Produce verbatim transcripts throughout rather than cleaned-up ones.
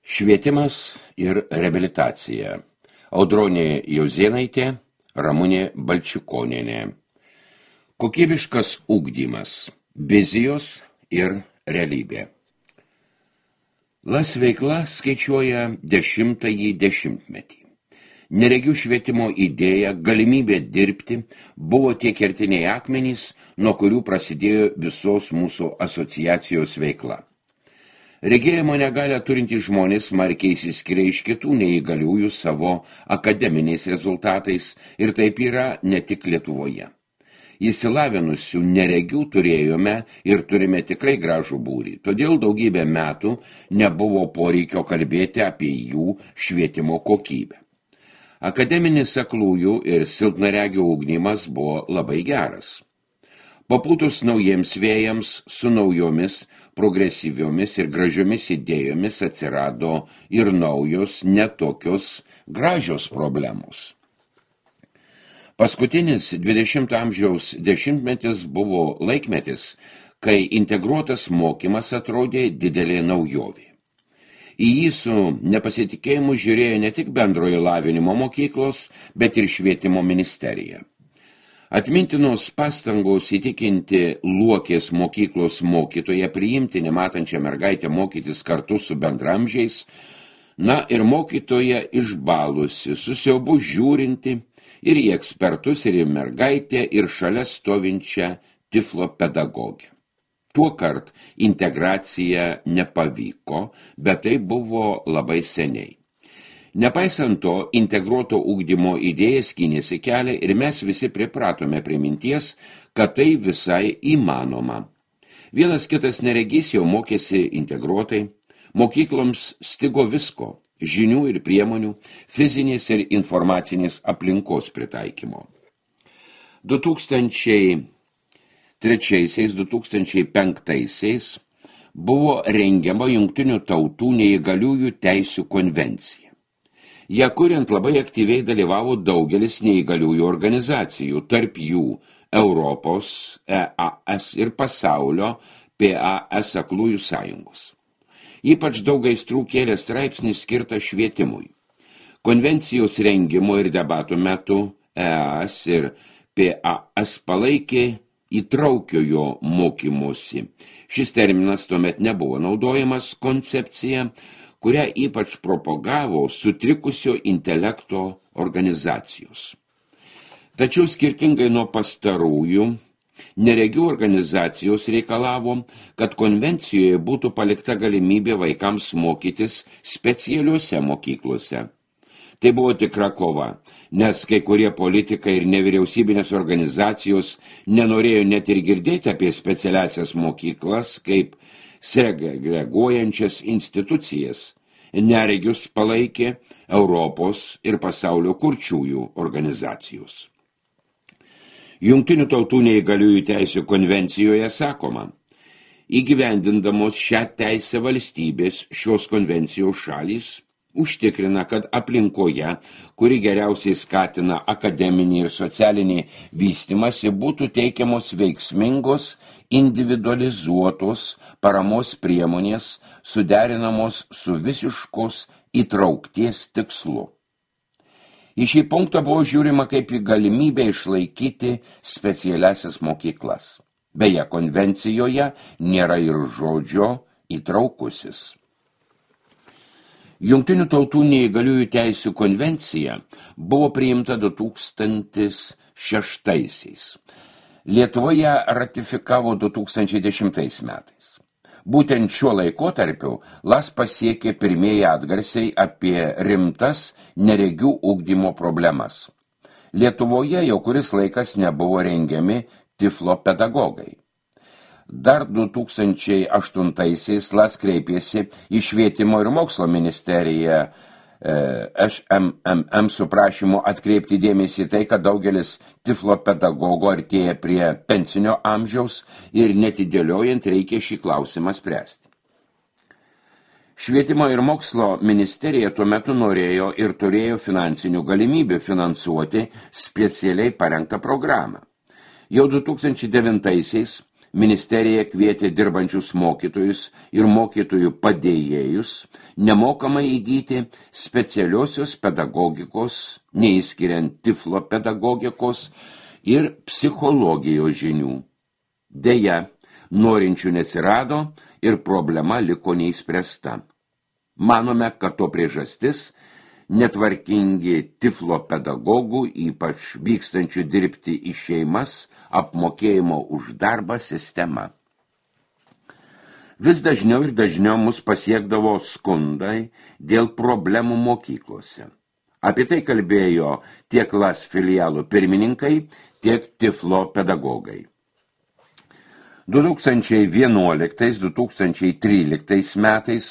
Švietimas ir reabilitacija. Audronė Jozėnaitė, Ramunė Balčikonienė. Kokybiškas ugdymas, vizijos ir realybė. Las veikla skaičiuoja dešimtąjį dešimtmetį. Neregių švietimo idėja, galimybė dirbti buvo tie kertiniai akmenys, nuo kurių prasidėjo visos mūsų asociacijos veikla. Regėjimo negalią turintys žmonės smarkiai išsiskiria iš kitų neįgaliųjų savo akademiniais rezultatais ir taip yra ne tik Lietuvoje. Įsilavinusių neregių turėjome ir turime tikrai gražų būrį, todėl daugybę metų nebuvo poreikio kalbėti apie jų švietimo kokybę. Akademinis aklųjų ir silpnaregių ugdymas buvo labai geras. Papūtus naujiems vėjams su naujomis, progresyviomis ir gražiomis idėjomis atsirado ir naujos, netokios gražios problemos. Paskutinis dvidešimto amžiaus dešimtmetis buvo laikmetis, kai integruotas mokymas atrodė didelė naujovė. Į jį su nepasitikėjimu žiūrėjo ne tik bendrojo lavinimo mokyklos, bet ir švietimo ministerija. Atmintinos pastangos įtikinti Luokės mokyklos mokytoją priimti nematančią mergaitę mokytis kartu su bendramžiais, na ir mokytoja išbalusi, su siaubu žiūrinti ir į ekspertus, ir į mergaitę, ir šalia stovinčią tiflo pedagogę. Tuokart integracija nepavyko, bet tai buvo labai seniai. Nepaisant to, integruoto ugdymo idėja skynėsi kelią ir mes visi pripratome prie minties, kad tai visai įmanoma. Vienas kitas neregys jau mokėsi integruotai, mokykloms stigo visko – žinių ir priemonių, fizinės ir informacinės aplinkos pritaikymo. du tūkstančiai trečiaisiais - du tūkstančiai penktaisiais buvo rengiama Jungtinių tautų neįgaliųjų teisių konvencija. Ja kuriant labai aktyviai dalyvavo daugelis neįgaliųjų organizacijų, tarp jų Europos, E A S ir pasaulio P A S aklųjų sąjungos. Ypač daug aistrų kėlė straipsnis skirtą švietimui. Konvencijos rengimo ir debatų metu E A S ir P A S palaikė įtraukiojo mokymosi. Šis terminas tuomet nebuvo naudojamas koncepcija, kurią ypač propagavo sutrikusio intelekto organizacijos. Tačiau skirtingai nuo pastarųjų, neregių organizacijos reikalavo, kad konvencijoje būtų palikta galimybė vaikams mokytis specialiuose mokyklose. Tai buvo tikra kova, nes kai kurie politikai ir nevyriausybinės organizacijos nenorėjo net ir girdėti apie specialiasias mokyklas kaip segreguojančias institucijas. Neregius palaikė Europos ir pasaulio kurčiųjų organizacijos. Jungtinių tautų neįgaliųjų teisių konvencijoje sakoma, įgyvendindamos šią teisę valstybės šios konvencijos šalys užtikrina, kad aplinkoje, kuri geriausiai skatina akademinį ir socialinį vystymąsi, būtų teikiamos veiksmingos, individualizuotos paramos priemonės, suderinamos su visiškos įtraukties tikslu. Į šį punktą buvo žiūrima kaip į galimybę išlaikyti specialiasias mokyklas. Beje, konvencijoje nėra ir žodžio įtraukusis. Jungtinių tautų neįgaliųjų teisių konvencija buvo priimta du tūkstančiai šeštaisiais. Lietuvoje ratifikavo du tūkstančiai dešimtais metais. Būtent šiuo laikotarpiu Las pasiekė pirmieji atgarsiai apie rimtas neregių ugdymo problemas. Lietuvoje jau kuris laikas nebuvo rengiami tiflo pedagogai. Dar du tūkstančiai aštuntaisiais Las kreipėsi į švietimo ir mokslo ministeriją Š M M M su prašymu atkreipti dėmesį tai, kad daugelis tiflo pedagogų artėja prie pensinio amžiaus ir netidėliojant reikia šį klausimą spręsti. Švietimo ir mokslo ministerija tuo metu norėjo ir turėjo finansinių galimybių finansuoti specialiai parengtą programą. Jau du tūkstančiai devintaisiais ministerija kvietė dirbančius mokytojus ir mokytojų padėjėjus nemokamai įgyti specialiosios pedagogikos, neįskiriant tiflo pedagogikos ir psichologijos žinių. Deja, norinčių neatsirado ir problema liko neįspręsta. Manome, kad to priežastis netvarkingi tiflo pedagogų, ypač vykstančių dirbti į šeimas, apmokėjimo už darbą sistema. Vis dažniau ir dažniau mus pasiekdavo skundai dėl problemų mokyklose. Apie tai kalbėjo tiek Las filialų pirmininkai, tiek tiflo pedagogai. du tūkstančiai vienuoliktais - du tūkstančiai tryliktais metais,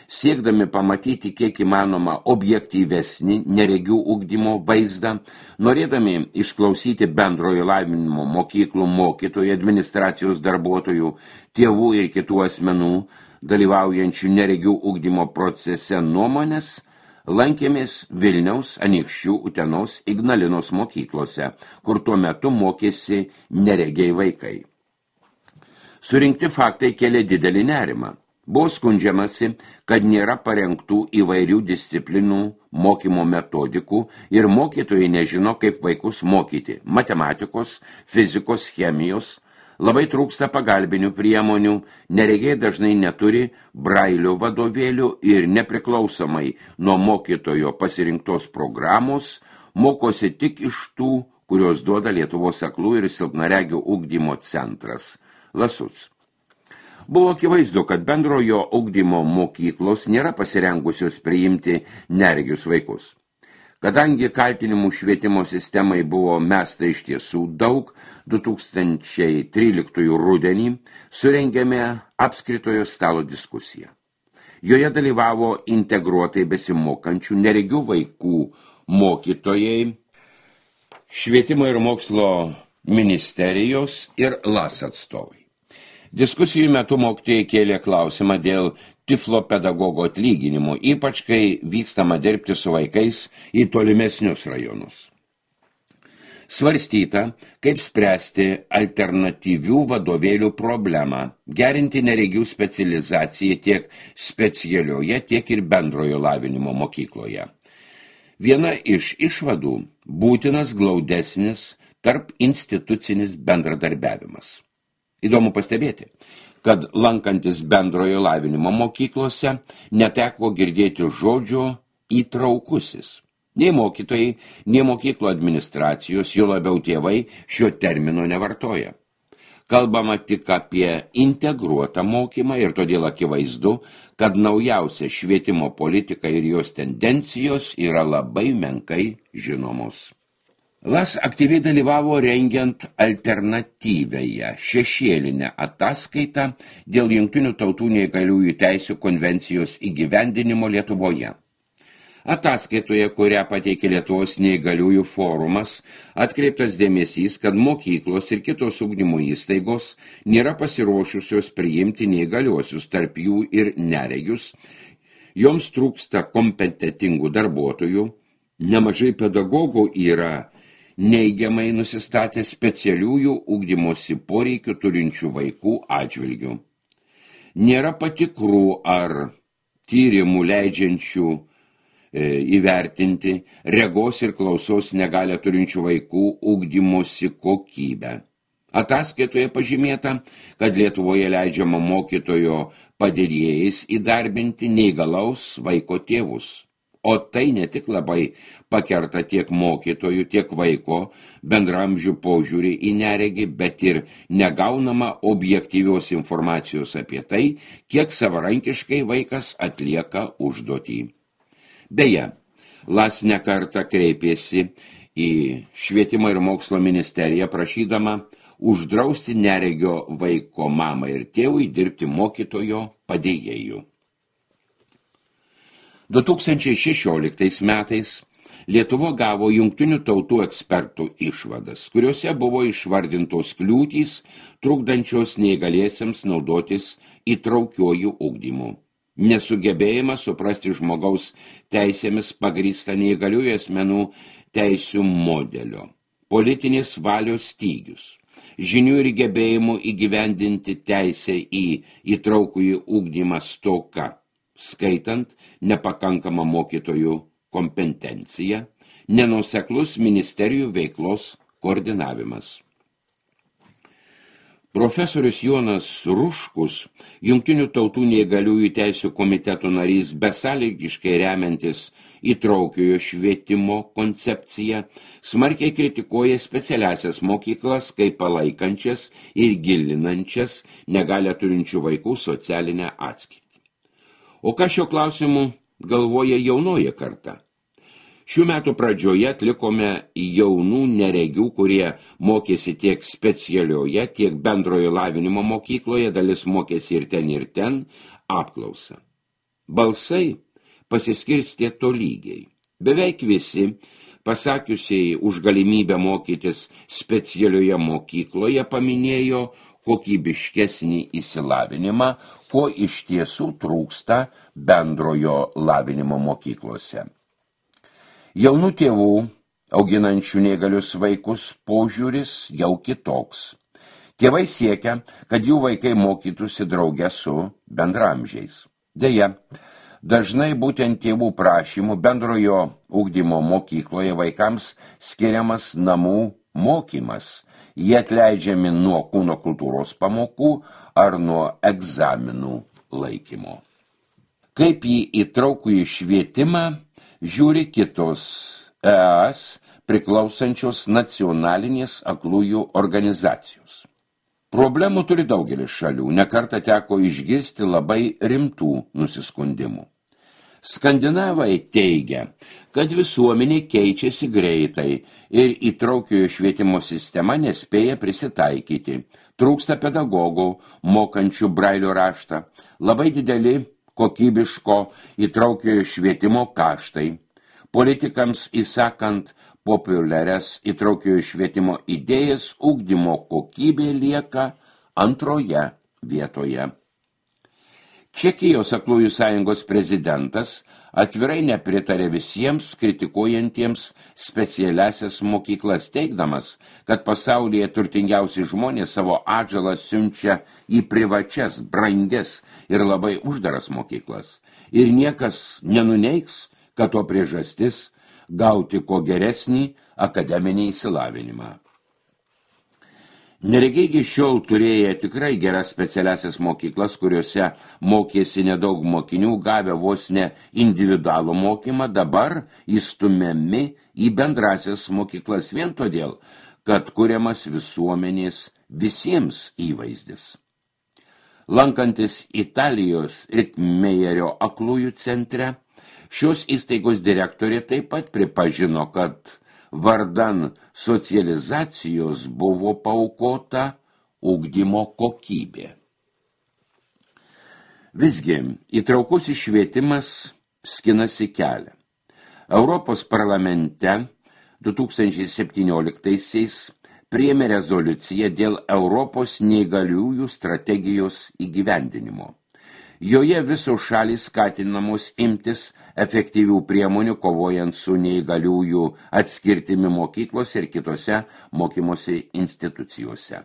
siekdami pamatyti kiek įmanoma objektyvesnį neregių ugdymo vaizdą, norėdami išklausyti bendrojo lavinimo mokyklų mokytojų, administracijos darbuotojų, tėvų ir kitų asmenų, dalyvaujančių neregių ugdymo procese nuomonės, lankėmės Vilniaus, Anykščių, Utenos, Ignalinos mokyklose, kur tuo metu mokėsi neregiai vaikai. Surinkti faktai kėlė didelį nerimą. Buvo skundžiamasi, kad nėra parengtų įvairių disciplinų mokymo metodikų ir mokytojai nežino, kaip vaikus mokyti – matematikos, fizikos, chemijos. Labai trūksta pagalbinių priemonių, neregiai dažnai neturi brailio vadovėlių ir nepriklausomai nuo mokytojo pasirinktos programos mokosi tik iš tų, kurios duoda Lietuvos aklų ir silpnaregių ugdymo centras – Lasuc. Buvo akivaizdu, kad bendrojo ugdymo mokyklos nėra pasirengusios priimti neregius vaikus. Kadangi kaltinimų švietimo sistemai buvo mesta iš tiesų daug, du tūkstančiai tryliktųjų rudenį surengėme apskritojo stalo diskusiją. Joje dalyvavo integruotai besimokančių neregių vaikų mokytojai, švietimo ir mokslo ministerijos ir Las atstovai. Diskusijų metu mokytojai kėlė klausimą dėl tiflo pedagogo atlyginimo, ypač kai vykstama dirbti su vaikais į tolimesnius rajonus. Svarstyta, kaip spręsti alternatyvių vadovėlių problemą, gerinti neregių specializaciją tiek specialioje, tiek ir bendrojo lavinimo mokykloje. Viena iš išvadų – būtinas glaudesnis tarp institucinis bendradarbiavimas. Įdomu pastebėti, kad lankantis bendrojo lavinimo mokyklose neteko girdėti žodžio įtraukusis. Nei mokytojai, nei mokyklo administracijos, jo labiau tėvai šio termino nevartoja. Kalbama tik apie integruotą mokymą ir todėl akivaizdu, kad naujausia švietimo politika ir jos tendencijos yra labai menkai žinomos. Las aktyviai dalyvavo rengiant alternatyvėje šešėlinę ataskaitą dėl Jungtinių tautų neįgaliųjų teisių konvencijos įgyvendinimo Lietuvoje. Ataskaitoje, kurią pateikė Lietuvos neįgaliųjų forumas, atkreiptas dėmesys, kad mokyklos ir kitos ugdymo įstaigos nėra pasiruošusios priimti neįgaliuosius, tarp jų ir neregius. Joms trūksta kompetentingų darbuotojų, nemažai pedagogų yra neigiamai nusistatė specialiųjų ugdymosi poreikių turinčių vaikų atžvilgių. Nėra patikrų ar tyrimų leidžiančių e, įvertinti regos ir klausos negalią turinčių vaikų ugdymosi kokybę. Ataskaitoje pažymėta, kad Lietuvoje leidžiama mokytojo padėjėjais įdarbinti neįgalaus vaiko tėvus. O tai ne tik labai pakerta tiek mokytojų, tiek vaiko bendramžių požiūrį į neregį, bet ir negaunama objektyvios informacijos apie tai, kiek savarankiškai vaikas atlieka užduotį. Beje, Las nekartą kreipėsi į švietimo ir mokslo ministeriją prašydama uždrausti neregio vaiko mamai ir tėvui dirbti mokytojo padėjėjų. du tūkstančiai šešioliktais metais Lietuva gavo Jungtinių tautų ekspertų išvadas, kuriuose buvo išvardintos kliūtys, trukdančios neįgaliesiems naudotis įtraukiuoju ugdymu. Nesugebėjimas suprasti žmogaus teisėmis pagrįstą neįgaliųjų asmenų teisių modelio, politinės valios stygius, žinių ir gebėjimų įgyvendinti teisę į įtraukųjį ugdymą stoka, skaitant nepakankamą mokytojų kompetenciją, nenuoseklus ministerijų veiklos koordinavimas. Profesorius Jonas Ruškus, Jungtinių tautų neįgaliųjų teisių komiteto narys, besąlygiškai remiantis įtraukiojo švietimo koncepciją, smarkiai kritikuoja specialiasias mokyklas kaip palaikančias ir gilinančias negalią turinčių vaikų socialinę atskirtį. O ką šio klausimu galvoja jaunoji karta? Šių metų pradžioje atlikome jaunų neregių, kurie mokėsi tiek specialioje, tiek bendrojo lavinimo mokykloje, dalis mokėsi ir ten ir ten, apklausą. Balsai pasiskirstė tolygiai. Beveik visi, pasakiusiai už galimybę mokytis specialioje mokykloje, paminėjo kokybiškesnį išsilavinimą, ko iš tiesų trūksta bendrojo lavinimo mokyklose. Jaunų tėvų, auginančių neįgalius vaikus, požiūris jau kitoks. Tėvai siekia, kad jų vaikai mokytųsi drauge su bendramžiais. Deja, dažnai būtent tėvų prašymų bendrojo ugdymo mokykloje vaikams skiriamas namų mokymas. Jie atleidžiami nuo kūno kultūros pamokų ar nuo egzaminų laikymo. Kaip į įtraukųjį švietimą žiūri kitos E S priklausančios nacionalinės aklųjų organizacijos. Problemų turi daugelis šalių, nekartą teko išgirsti labai rimtų nusiskundimų. Skandinavai teigia, kad visuomenė keičiasi greitai ir įtraukiojo švietimo sistema nespėja prisitaikyti, trūksta pedagogų, mokančių brailio raštą, labai dideli kokybiško įtraukiojo švietimo kaštai, politikams įsakant populiarias įtraukiojo švietimo idėjas, ugdymo kokybė lieka antroje vietoje. Čekijos aklųjų sąjungos prezidentas atvirai nepritarė visiems kritikuojantiems specialiasias mokyklas, teigdamas, kad pasaulyje turtingiausi žmonės savo atžalą siunčia į privačias, brangias ir labai uždaras mokyklas. Ir niekas nenuneigs, kad to priežastis gauti ko geresnį akademinį išsilavinimą. Neregiai iki šiol turėję tikrai geras specialiasias mokyklas, kuriuose mokėsi nedaug mokinių, gavę vos ne individualų mokymą, dabar įstumiami į bendrasias mokyklas vien todėl, kad kuriamas visuomenės visiems įvaizdis. Lankantis Italijos Ritmejerio aklųjų centre, šios įstaigos direktorė taip pat pripažino, kad vardan socializacijos buvo paaukota ugdymo kokybė. Visgi, įtraukusis švietimas skinasi kelią. Europos parlamente du tūkstančiai septynioliktaisiais priėmė rezoliuciją dėl Europos neįgaliųjų strategijos įgyvendinimo. Joje visos šalys skatinamos imtis efektyvių priemonių kovojant su neįgaliųjų atskirtimi mokyklose ir kitose mokymosi institucijose.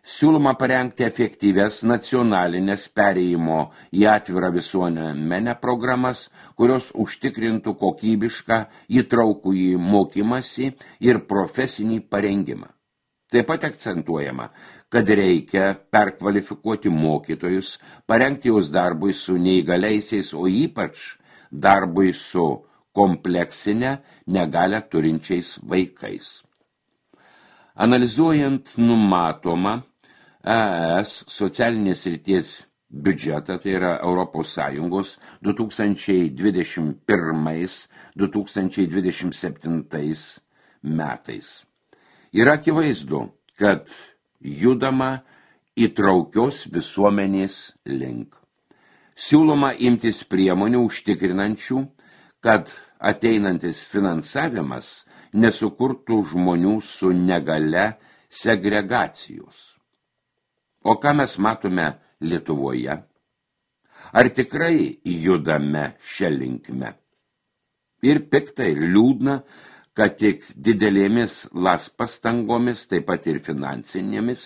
Siūloma parengti efektyvias nacionalinės perėjimo į atvirą visuomenę programas, kurios užtikrintų kokybišką įtraukųjį mokymąsi ir profesinį parengimą. Taip pat akcentuojama, kad reikia perkvalifikuoti mokytojus, parengti juos darbui su neįgaliaisiais, o ypač darbui su kompleksinę negalią turinčiais vaikais. Analizuojant numatomą E S socialinės srities biudžetą, tai yra Europos Sąjungos du tūkstančiai dvidešimt pirmais - du tūkstančiai dvidešimt septintais metais. Yra akivaizdu, kad judama įtraukios visuomenės link. Siūloma imtis priemonių užtikrinančių, kad ateinantis finansavimas nesukurtų žmonių su negale segregacijos. O ką mes matome Lietuvoje? Ar tikrai judame šią linkme? Ir pikta, ir liūdna, kad tik didelėmis las pastangomis, taip pat ir finansinėmis,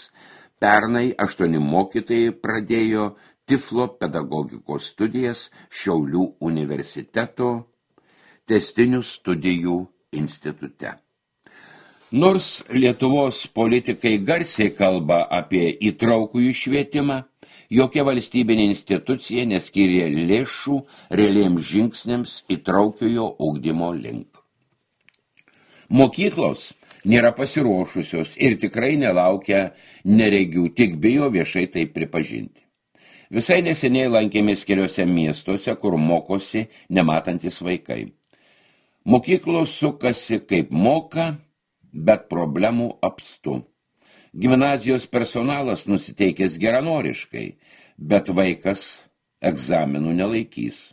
pernai aštuoni mokytojai pradėjo Tiflo pedagogikos studijas Šiaulių universiteto tęstinių studijų institute. Nors Lietuvos politikai garsiai kalba apie įtraukųjų švietimą, jokia valstybinė institucija neskyrė lėšų realiems žingsniams įtraukiojo ugdymo link. Mokyklos nėra pasiruošusios ir tikrai nelaukia neregių, tik bijo viešai tai pripažinti. Visai neseniai lankėmės keliose miestuose, kur mokosi nematantis vaikai. Mokyklos sukasi kaip moka, bet problemų apstu. Gimnazijos personalas nusiteikęs geranoriškai, bet vaikas egzaminų nelaikys.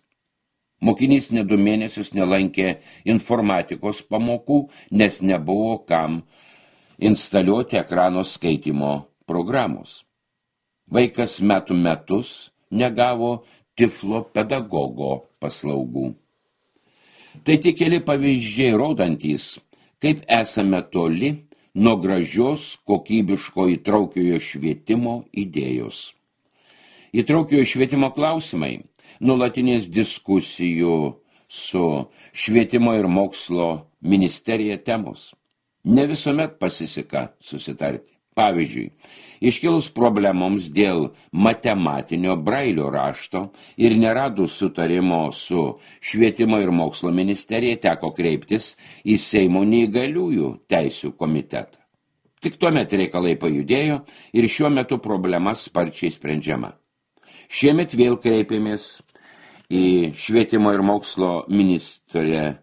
Mokinys ne du mėnesius nelankė informatikos pamokų, nes nebuvo kam instaliuoti ekrano skaitymo programos. Vaikas metų metus negavo Tiflo pedagogo paslaugų. Tai tik keli pavyzdžiai rodantys, kaip esame toli nuo gražios kokybiško įtraukiojo švietimo idėjos. Įtraukiojo švietimo klausimai nuolatinės diskusijų su švietimo ir mokslo ministerija temos. Ne visuomet pasiseka susitarti. Pavyzdžiui, iškilus problemoms dėl matematinio brailio rašto ir neradus sutarimo su švietimo ir mokslo ministerija teko kreiptis į Seimo neįgaliųjų teisių komitetą. Tik tuomet reikalai pajudėjo ir šiuo metu problema sparčiai sprendžiama. Šiemet vėl kreipėmės į švietimo ir mokslo ministrę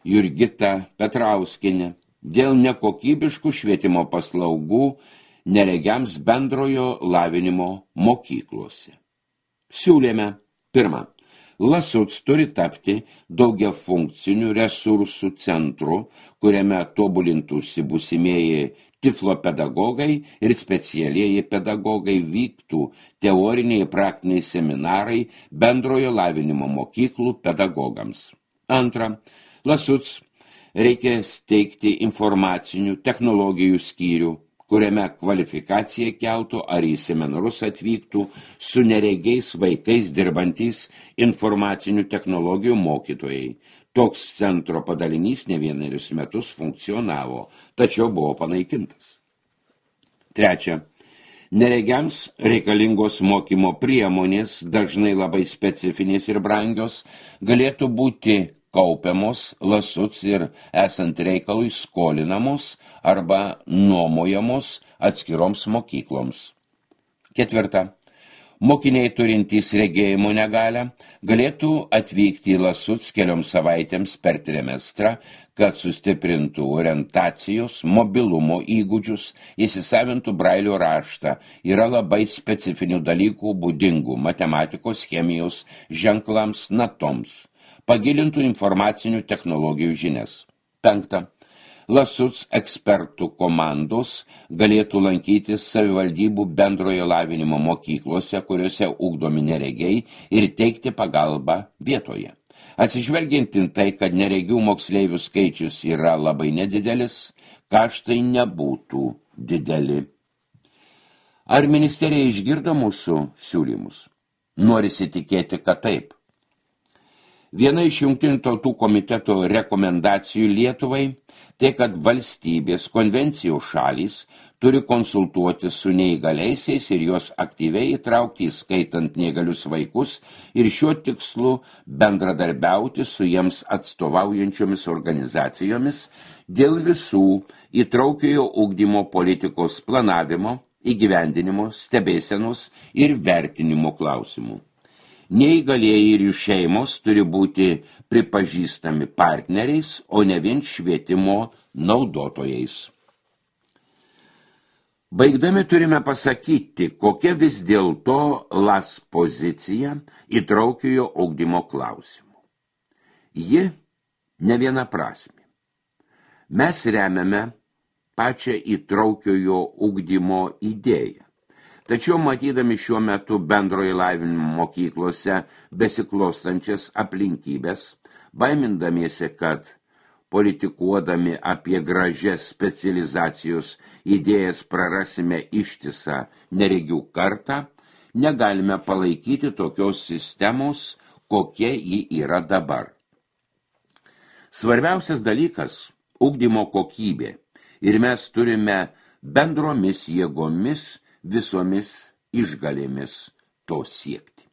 Jurgitą Petrauskienę dėl nekokybiškų švietimo paslaugų neregiams bendrojo lavinimo mokyklose. Siūlėme, pirma, Lasuc turi tapti daugiafunkcinių resursų centru, kuriame tobulintųsi būsimieji Tiflo pedagogai ir specialieji pedagogai, vyktų teoriniai ir praktiniai seminarai bendrojo lavinimo mokyklų pedagogams. Antra, Lasuc reikia steigti informacinių technologijų skyrių, kuriame kvalifikacija keltų ar į seminarus atvyktų su neregiais vaikais dirbantys informacinių technologijų mokytojai. Toks centro padalinys ne vienerius metus funkcionavo, tačiau buvo panaikintas. Trečia, neregiams reikalingos mokymo priemonės, dažnai labai specifinės ir brangios, galėtų būti kaupiamos Lasuc ir esant reikalui skolinamos arba nuomojamos atskiroms mokykloms. Ketvirta. Mokiniai turintys regėjimo negalią galėtų atvykti į Lasuc kelioms savaitėms per trimestrą, kad sustiprintų orientacijos, mobilumo įgūdžius, įsisavintų brailio raštą. Yra labai specifinių dalykų būdingų matematikos, chemijos, ženklams, natoms. Pagilintų informacinių technologijų žinias. Penkta. Lasuc ekspertų komandos galėtų lankytis savivaldybių bendrojo lavinimo mokyklose, kuriuose ugdomi neregiai, ir teikti pagalbą vietoje. Atsižvelgiant į tai, kad neregių moksleivių skaičius yra labai nedidelis, kaštai nebūtų dideli. Ar ministerija išgirdo mūsų siūlymus? Norisi tikėti, kad taip. Viena iš Jungtinių tautų komiteto rekomendacijų Lietuvai tai, kad valstybės konvencijų šalys turi konsultuoti su neįgaliaisiais ir juos aktyviai įtraukti, įskaitant neįgalius vaikus, ir šiuo tikslu bendradarbiauti su jiems atstovaujančiomis organizacijomis dėl visų įtraukiojo ugdymo politikos planavimo, įgyvendinimo, stebėsenos ir vertinimo klausimų. Neįgalieji ir jų šeimos turi būti pripažįstami partneriais, o ne vien švietimo naudotojais. Baigdami turime pasakyti, kokia vis dėlto Las pozicija įtraukiojo ugdymo klausimų. Ji ne vienaprasmė. Mes remiame pačią įtraukiojo ugdymo idėją. Tačiau matydami šiuo metu bendrojo lavinimo mokyklose besiklostančias aplinkybės, baimindamiesi, kad politikuodami apie gražias specializacijos idėjas prarasime ištisą neregių kartą, negalime palaikyti tokios sistemos, kokia ji yra dabar. Svarbiausias dalykas – ugdymo kokybė ir mes turime bendromis jėgomis visomis išgalėmis to siekti.